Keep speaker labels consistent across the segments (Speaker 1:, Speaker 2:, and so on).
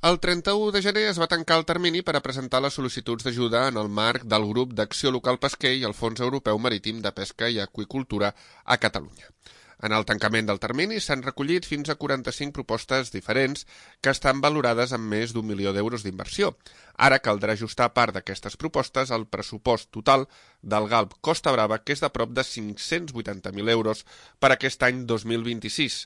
Speaker 1: El 31 de gener es va tancar el termini per a presentar les sol·licituds d'ajuda en el marc del Grup d'Acció Local Pesquer i el Fons Europeu Marítim de Pesca i Aqüicultura a Catalunya. En el tancament del termini s'han recollit fins a 45 propostes diferents que estan valorades amb més d'1 milió d'euros d'inversió. Ara caldrà ajustar part d'aquestes propostes al pressupost total del GALP Costa Brava, que és de prop de 580.000 euros per aquest any 2026.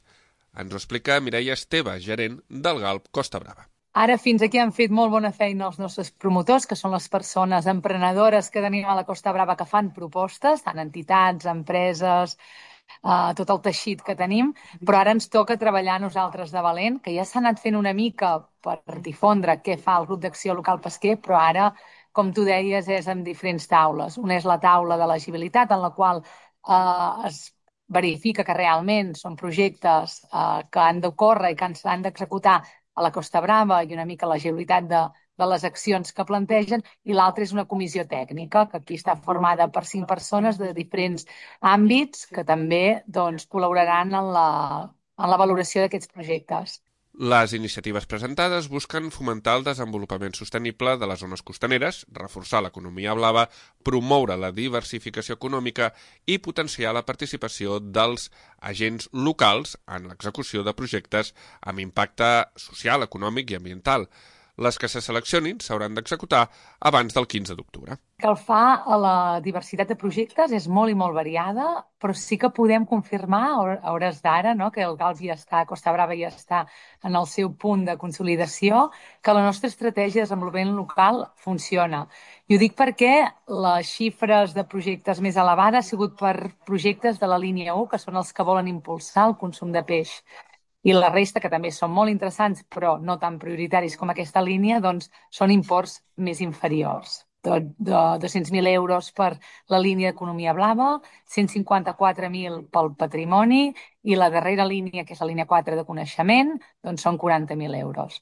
Speaker 1: Ens ho explica Mireia Esteve, gerent del GALP Costa Brava.
Speaker 2: Ara fins aquí han fet molt bona feina els nostres promotors, que són les persones emprenedores que tenim a la Costa Brava que fan propostes, tant entitats, empreses, tot el teixit que tenim, però ara ens toca treballar nosaltres de valent, que ja s'ha anat fent una mica per difondre què fa el grup d'acció local pesquer, però ara, com tu deies, és en diferents taules. Una és la taula de l'elegibilitat, en la qual es verifica que realment són projectes que han d'ocórrer i que s'han d'executar a la Costa Brava i una mica l'agilitat de les accions que plantegen, i l'altra és una comissió tècnica, que aquí està formada per 5 persones de diferents àmbits que també col·laboraran en la valoració d'aquests projectes.
Speaker 1: Les iniciatives presentades busquen fomentar el desenvolupament sostenible de les zones costaneres, reforçar l'economia blava, promoure la diversificació econòmica i potenciar la participació dels agents locals en l'execució de projectes amb impacte social, econòmic i ambiental. Les que se seleccionin s'hauran d'executar abans del 15 d'octubre.
Speaker 2: El que fa a la diversitat de projectes és molt i molt variada, però sí que podem confirmar a hores d'ara, no, que el GALP ja està, Costa Brava ja està en el seu punt de consolidació, que la nostra estratègia de desenvolupament local funciona. I ho dic perquè les xifres de projectes més elevades han sigut per projectes de la línia 1, que són els que volen impulsar el consum de peix. I la resta, que també són molt interessants, però no tan prioritaris com aquesta línia, doncs són imports més inferiors. De 200.000 euros per la línia d'economia blava, 154.000 pel patrimoni i la darrera línia, que és la línia 4 de coneixement, doncs són 40.000 euros.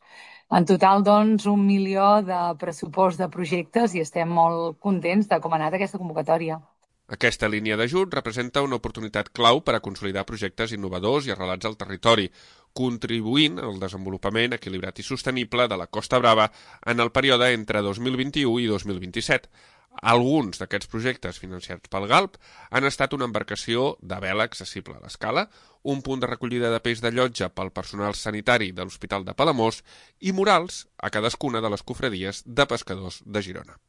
Speaker 2: En total, doncs, 1 milió de pressupost de projectes i estem molt contents de com ha anat aquesta convocatòria.
Speaker 1: Aquesta línia d'ajut representa una oportunitat clau per a consolidar projectes innovadors i arrelats al territori, contribuint al desenvolupament equilibrat i sostenible de la Costa Brava en el període entre 2021 i 2027. Alguns d'aquests projectes financiats pel GALP han estat una embarcació de vela accessible a l'escala, un punt de recollida de peix de llotja pel personal sanitari de l'Hospital de Palamós i murals a cadascuna de les cofradies de pescadors de Girona.